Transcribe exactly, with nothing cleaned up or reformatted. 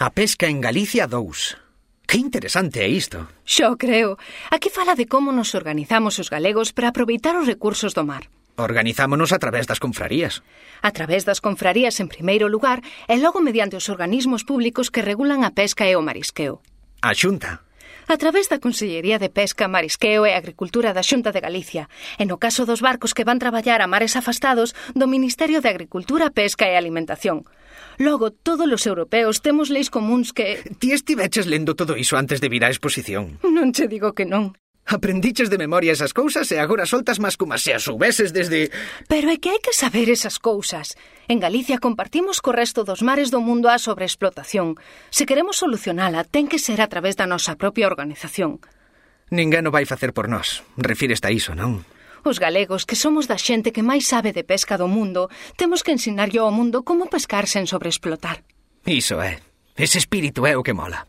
A pesca en Galicia dous. Que interesante é isto. Xo creo. Aquí fala de como nos organizamos os galegos para aproveitar os recursos do mar. Organizámonos a través das confrarías. A través das confrarías en primeiro lugar e logo mediante os organismos públicos que regulan a pesca e o marisqueo. A Xunta. A través da Consellería de Pesca, Marisqueo e Agricultura da Xunta de Galicia. E no caso dos barcos que van traballar a mares afastados, do Ministerio de Agricultura, Pesca e Alimentación. Logo, todos os europeos temos leis comuns que... Ti estiveches lendo todo iso antes de vir á exposición? Non che digo que non. Aprendiches de memoria esas cousas e agora soltas máis como se as soubeses desde... Pero é que hai que saber esas cousas. En Galicia compartimos co resto dos mares do mundo a sobreexplotación. Se queremos solucionala, ten que ser a través da nosa propia organización. Ninguén o vai facer por nós. Refíreste a iso, non? Os galegos, que somos da xente que máis sabe de pesca do mundo, temos que ensinarlle ao mundo como pescar sen sobreexplotar. Iso é. Ese espírito é o que mola.